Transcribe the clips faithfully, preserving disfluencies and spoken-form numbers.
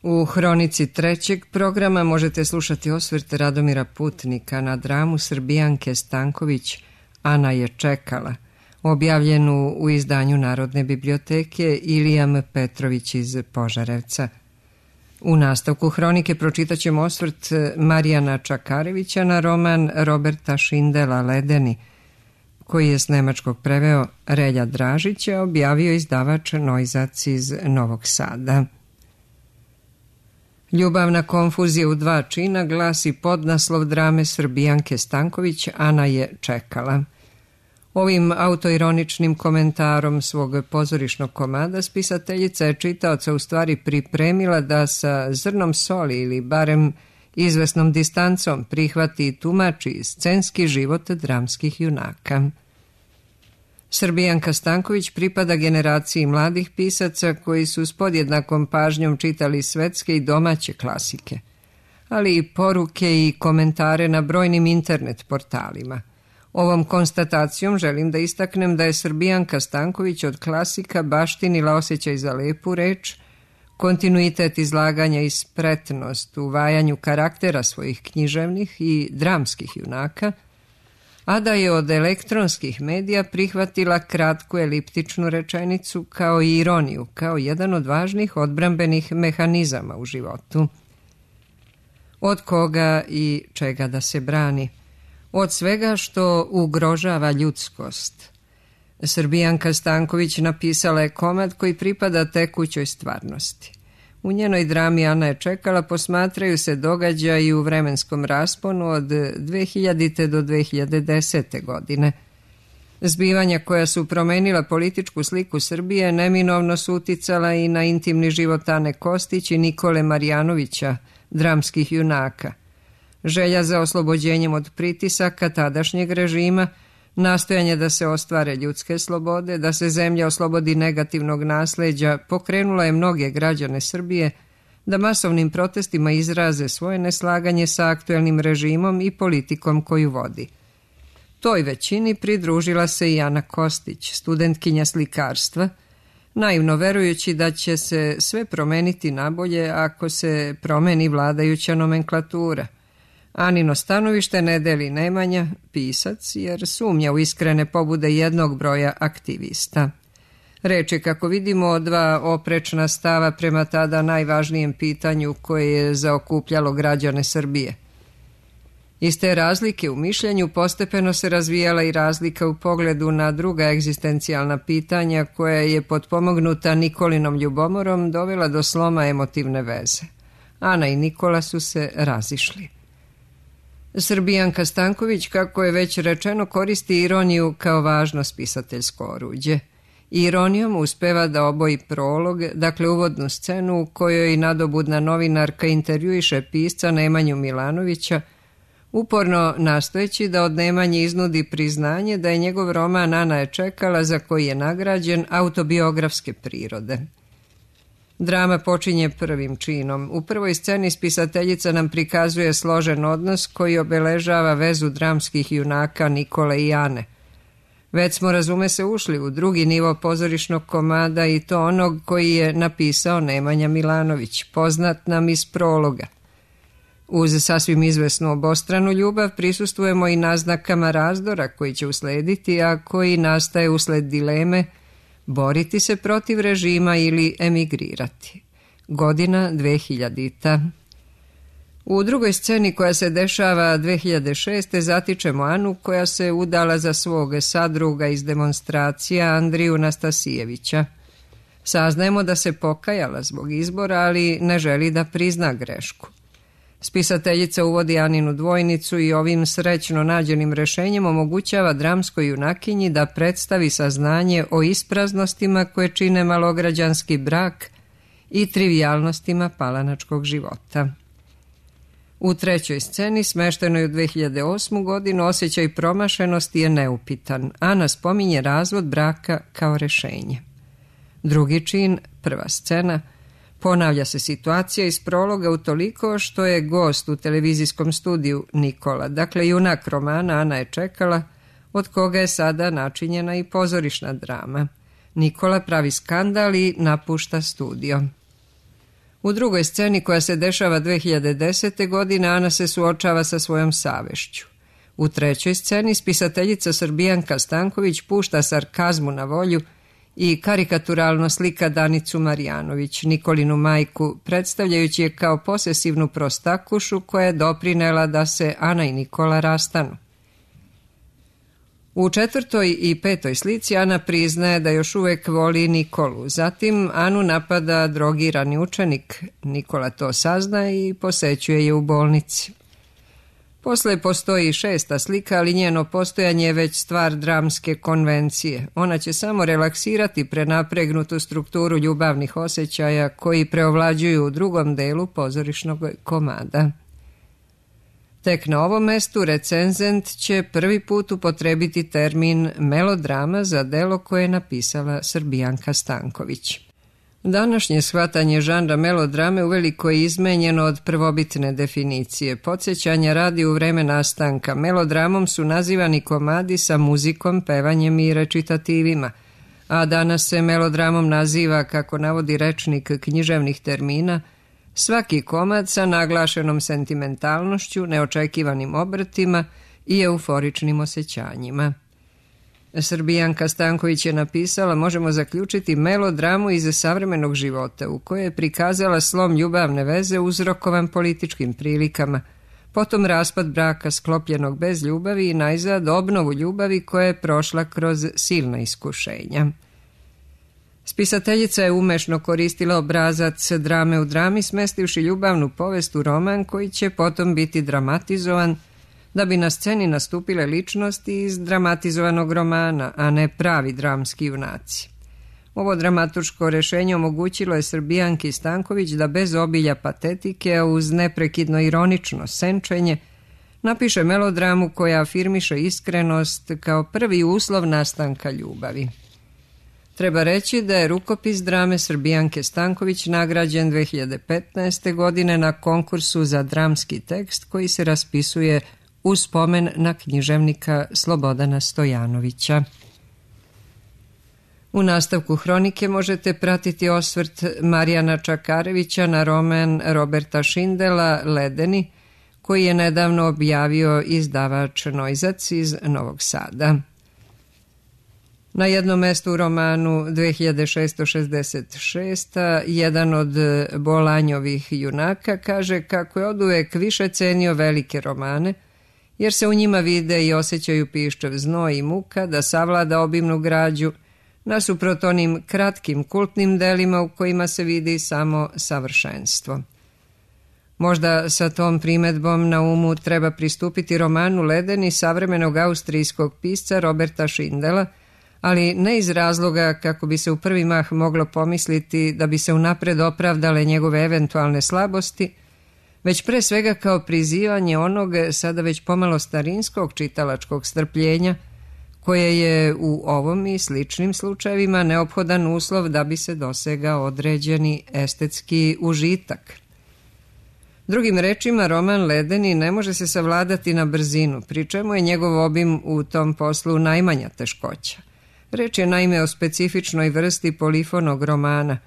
U hronici trećeg programa možete slušati osvrt Radomira Putnika na dramu Srbijanke Stanković Ana je čekala, objavljenu u izdanju Narodne biblioteke Ilija M. Petrović iz Požarevca. U nastavku hronike pročitaćemo osvrt Marijana Čakarevića na roman Roberta Šindela Ledeni, koji je s nemačkog preveo Relja Dražića, objavio izdavač Noizac iz Novog Sada. Ljubavna konfuzija u dva čina glasi podnaslov drame Srbijanke Stanković Ana je čekala. Ovim autoironičnim komentarom svog pozorišnog komada spisateljica je čitaoca u stvari pripremila da sa zrnom soli ili barem izvesnom distancom prihvati i tumači scenski život dramskih junaka. Srbijanka Stanković pripada generaciji mladih pisaca koji su s podjednakom pažnjom čitali svetske i domaće klasike, ali i poruke i komentare na brojnim internet portalima. Ovom konstatacijom želim da istaknem da je Srbijanka Stanković od klasika baštinila osjećaj za lepu reč, kontinuitet izlaganja i spretnost u vajanju karaktera svojih književnih i dramskih junaka, a da je od elektronskih medija prihvatila kratku eliptičnu rečenicu kao i ironiju, kao jedan od važnih odbrambenih mehanizama u životu. Od koga i čega da se brani? Od svega što ugrožava ljudskost. Srbijanka Stanković napisala je komad koji pripada tekućoj stvarnosti. U njenoj drami Ana je čekala posmatraju se događaji u vremenskom rasponu od dve hiljadite do dve hiljade desete. godine. Zbivanja koja su promenila političku sliku Srbije neminovno su uticala i na intimni život Ane Kostić i Nikole Marjanovića, dramskih junaka. Želja za oslobođenjem od pritisaka tadašnjeg režima, nastojanje da se ostvare ljudske slobode, da se zemlja oslobodi negativnog nasleđa, pokrenula je mnoge građane Srbije da masovnim protestima izraze svoje neslaganje sa aktuelnim režimom i politikom koju vodi. Toj većini pridružila se i Ana Kostić, studentkinja slikarstva, naivno verujući da će se sve promeniti nabolje ako se promeni vladajuća nomenklatura. Anino stanovište ne deli Nemanja, pisac, jer sumnja u iskrene pobude jednog broja aktivista. Reč je, kako vidimo, dva oprečna stava prema tada najvažnijem pitanju koje je zaokupljalo građane Srbije. Iz te razlike u mišljenju postepeno se razvijala i razlika u pogledu na druga egzistencijalna pitanja koja je potpomognuta Nikolinom ljubomorom dovela do sloma emotivne veze. Ana i Nikola su se razišli. Srbijanka Stanković, kako je već rečeno, koristi ironiju kao važno spisateljsko oruđe. Ironijom uspeva da oboji prolog, dakle uvodnu scenu u kojoj nadobudna novinarka intervjuiše pisca Nemanju Milanovića, uporno nastojeći da od Nemanje iznudi priznanje da je njegov roman Ana je čekala, za koji je nagrađen, autobiografske prirode. Drama počinje prvim činom. U prvoj sceni spisateljica nam prikazuje složen odnos koji obeležava vezu dramskih junaka Nikole i Ane. Već smo, razume se, ušli u drugi nivo pozorišnog komada i to onog koji je napisao Nemanja Milanović, poznat nam iz prologa. Uz sasvim izvesnu obostranu ljubav prisustvujemo i naznakama razdora koji će uslediti, a koji nastaje usled dileme boriti se protiv režima ili emigrirati. Godina dve hiljadita. U drugoj sceni, koja se dešava dve hiljade šeste. zatičemo Anu koja se udala za svog sadruga iz demonstracija Andriju Nastasijevića. Saznajemo da se pokajala zbog izbora, ali ne želi da prizna grešku. Spisateljica uvodi Aninu dvojnicu i ovim srećno nađenim rešenjem omogućava dramskoj junakinji da predstavi saznanje o ispraznostima koje čine malograđanski brak i trivijalnostima palanačkog života. U trećoj sceni, smeštenoj u dve hiljade osmu. godinu, osjećaj promašenosti je neupitan. Ana spominje razvod braka kao rešenje. Drugi čin, prva scena, ponavlja se situacija iz prologa utoliko što je gost u televizijskom studiju Nikola, dakle junak romana Ana je čekala, od koga je sada načinjena i pozorišna drama. Nikola pravi skandal i napušta studio. U drugoj sceni, koja se dešava dve hiljade desete. godine, Ana se suočava sa svojom savešću. U trećoj sceni spisateljica Srbijanka Stanković pušta sarkazmu na volju i karikaturalno slika Danicu Marjanović, Nikolinu majku, predstavljajući je kao posesivnu prostakušu koja je doprinela da se Ana i Nikola rastanu. U četvrtoj i petoj slici Ana priznaje da još uvek voli Nikolu, zatim Anu napada drogirani učenik, Nikola to sazna i posećuje je u bolnici. Posle postoji šesta slika, ali njeno postojanje je već stvar dramske konvencije. Ona će samo relaksirati prenapregnutu strukturu ljubavnih osjećaja koji preovlađuju u drugom delu pozorišnog komada. Tek na ovom mestu recenzent će prvi put upotrebiti termin melodrama za delo koje je napisala Srbijanka Stanković. Današnje shvatanje žanra melodrame uveliko je izmenjeno od prvobitne definicije. Podsjećanja radi u vreme nastanka. Melodramom su nazivani komadi sa muzikom, pevanjem i recitativima, a danas se melodramom naziva, kako navodi rečnik književnih termina, svaki komad sa naglašenom sentimentalnošću, neočekivanim obrtima i euforičnim osjećanjima. Srbijanka Stanković je napisala, možemo zaključiti, melodramu iz savremenog života u kojoj je prikazala slom ljubavne veze uzrokovan političkim prilikama, potom raspad braka sklopljenog bez ljubavi i najzad obnovu ljubavi koja je prošla kroz silna iskušenja. Spisateljica je umešno koristila obrazac drame u drami, smestivši ljubavnu povest u roman koji će potom biti dramatizovan, da bi na sceni nastupile ličnosti iz dramatizovanog romana, a ne pravi dramski junaci. Ovo dramaturško rešenje omogućilo je Srbijanki Stanković da bez obilja patetike, a uz neprekidno ironično senčenje, napiše melodramu koja afirmiše iskrenost kao prvi uslov nastanka ljubavi. Treba reći da je rukopis drame Srbijanke Stanković nagrađen dve hiljade petnaeste. godine na konkursu za dramski tekst koji se raspisuje u spomen na književnika Slobodana Stojanovića. U nastavku hronike možete pratiti osvrt Marijana Čakarevića na roman Roberta Šindela Ledeni, koji je nedavno objavio izdavač Nojzac iz Novog Sada. Na jednom mestu u romanu dve hiljade šesto šezdeset šest. jedan od Bolanjovih junaka kaže kako je oduvek više cenio velike romane, jer se u njima vide i osjećaju piščev znoj i muka da savlada obimnu građu, nasuprot onim kratkim kultnim delima u kojima se vidi samo savršenstvo. Možda sa tom primedbom na umu treba pristupiti romanu Ledeni savremenog austrijskog pisca Roberta Šindela, ali ne iz razloga kako bi se u prvi mah moglo pomisliti da bi se unapred opravdale njegove eventualne slabosti, već pre svega kao prizivanje onog sada već pomalo starinskog čitalačkog strpljenja, koje je u ovom i sličnim slučajevima neophodan uslov da bi se dosegao određeni estetski užitak. Drugim rečima, roman Ledeni ne može se savladati na brzinu, pri čemu je njegov obim u tom poslu najmanja teškoća. Reč je naime o specifičnoj vrsti polifonog romana,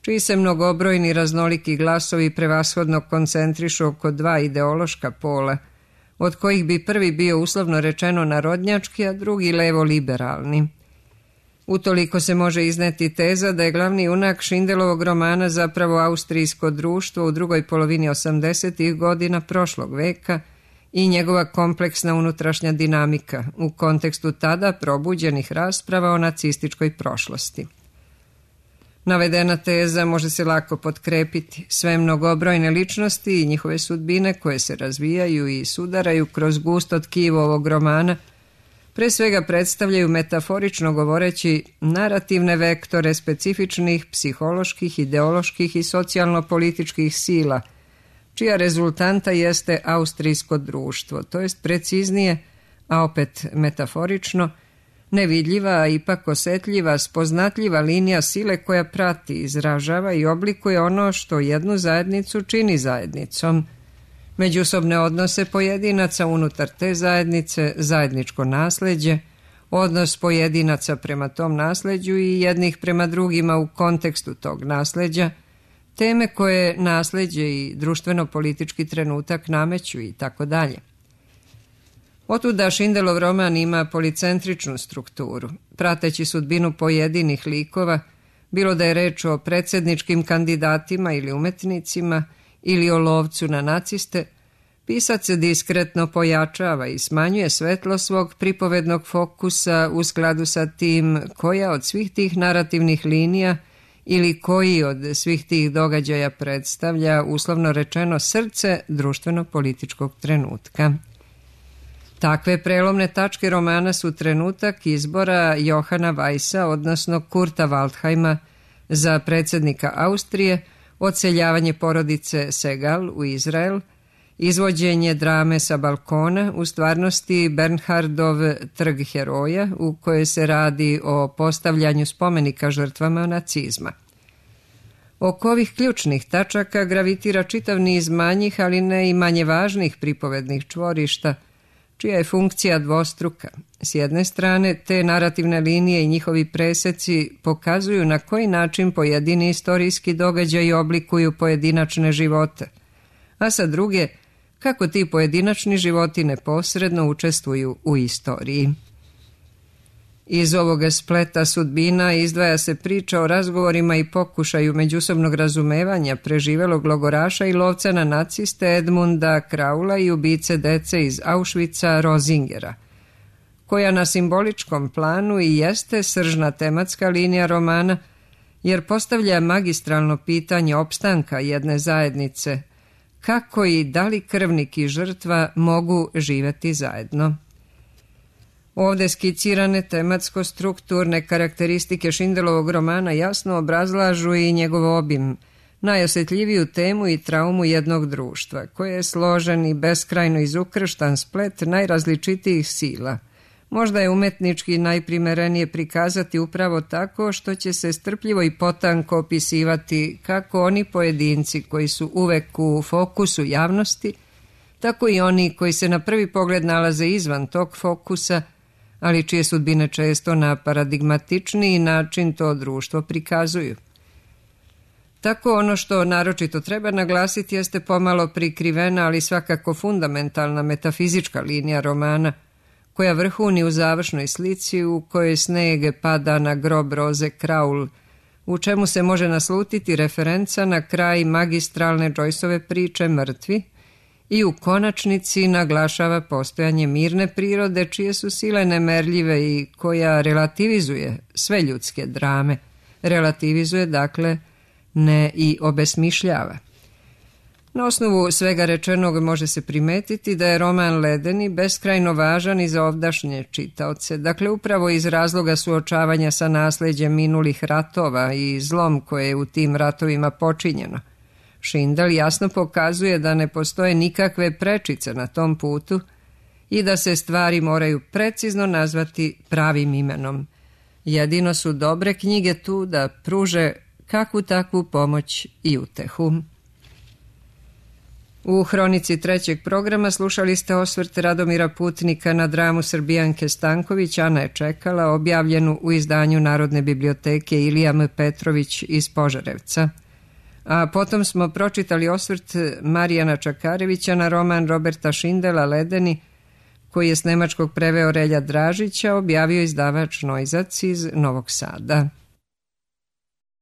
čiji se mnogobrojni raznoliki glasovi prevashodno koncentrišu oko dva ideološka pola, od kojih bi prvi bio uslovno rečeno narodnjački, a drugi levo-liberalni. Utoliko se može izneti teza da je glavni junak Šindelovog romana zapravo austrijsko društvo u drugoj polovini osamdesetih godina prošlog veka i njegova kompleksna unutrašnja dinamika u kontekstu tada probuđenih rasprava o nacističkoj prošlosti. Navedena teza može se lako potkrepiti. Sve mnogobrojne ličnosti i njihove sudbine koje se razvijaju i sudaraju kroz gusto tkivo ovog romana pre svega predstavljaju, metaforično govoreći, narativne vektore specifičnih psiholoških, ideoloških i socijalno-političkih sila, čija rezultanta jeste austrijsko društvo, to jest preciznije, a opet metaforično, nevidljiva, a ipak osetljiva, spoznatljiva linija sile koja prati, izražava i oblikuje ono što jednu zajednicu čini zajednicom, međusobne odnose pojedinaca unutar te zajednice, zajedničko nasleđe, odnos pojedinaca prema tom nasleđu i jednih prema drugima u kontekstu tog nasleđa, teme koje nasleđe i društveno-politički trenutak nameću i tako dalje. Otuda Šindelov roman ima policentričnu strukturu, prateći sudbinu pojedinih likova, bilo da je reč o predsjedničkim kandidatima ili umetnicima ili o lovcu na naciste. Pisac se diskretno pojačava i smanjuje svetlo svog pripovednog fokusa u skladu sa tim koja od svih tih narativnih linija ili koji od svih tih događaja predstavlja, uslovno rečeno, srce društveno-političkog trenutka. Takve prelomne tačke romana su trenutak izbora Johana Weissa, odnosno Kurta Waldheima, za predsjednika Austrije, odseljavanje porodice Segal u Izrael, izvođenje drame sa balkona, u stvarnosti Bernhardov Trg heroja, u kojoj se radi o postavljanju spomenika žrtvama nacizma. Oko ovih ključnih tačaka gravitira čitav niz manjih, ali ne i manje važnih pripovednih čvorišta, čija je funkcija dvostruka. S jedne strane, te narativne linije i njihovi preseci pokazuju na koji način pojedini istorijski događaji oblikuju pojedinačne živote, a sa druge, kako ti pojedinačni životi neposredno učestvuju u istoriji. Iz ovoga spleta sudbina izdvaja se priča o razgovorima i pokušaju međusobnog razumevanja preživelog logoraša i lovca na naciste Edmunda Kraula i ubice dece iz Auschwitza Rosingera, koja na simboličkom planu i jeste sržna tematska linija romana, jer postavlja magistralno pitanje opstanka jedne zajednice, kako i da li krvnik i žrtva mogu živjeti zajedno. Ovde skicirane tematsko-strukturne karakteristike Šindelovog romana jasno obrazlažu i njegov obim, najosjetljiviju temu i traumu jednog društva, koje je složen i beskrajno izukrštan splet najrazličitijih sila. Možda je umetnički najprimerenije prikazati upravo tako što će se strpljivo i potanko opisivati kako oni pojedinci koji su uvek u fokusu javnosti, tako i oni koji se na prvi pogled nalaze izvan tog fokusa, ali čije sudbine često na paradigmatičniji način to društvo prikazuju. Tako ono što naročito treba naglasiti jeste pomalo prikrivena, ali svakako fundamentalna metafizička linija romana, koja vrhuni u završnoj slici u kojoj sneg pada na grob Roze Kraul, u čemu se može naslutiti referenca na kraj magistralne Joyceove priče Mrtvi, i u konačnici naglašava postojanje mirne prirode čije su sile nemerljive i koja relativizuje sve ljudske drame. Relativizuje, dakle, ne i obesmišljava. Na osnovu svega rečenog može se primetiti da je roman Ledeni beskrajno važan i za ovdašnje čitaoce, dakle upravo iz razloga suočavanja sa nasleđem minulih ratova i zlom koje je u tim ratovima počinjeno. Šindel jasno pokazuje da ne postoje nikakve prečice na tom putu i da se stvari moraju precizno nazvati pravim imenom. Jedino su dobre knjige tu da pruže kakvu takvu pomoć i utehu. U hronici trećeg programa slušali ste osvrt Radomira Putnika na dramu Srbijanke Stanković Ana je čekala, objavljenu u izdanju Narodne biblioteke Ilija M. Petrović iz Požarevca. A potom smo pročitali osvrt Marijana Čakarevića na roman Roberta Šindela Ledeni, koji je s nemačkog preveo Relja Dražića, objavio izdavač Nojzac iz Novog Sada.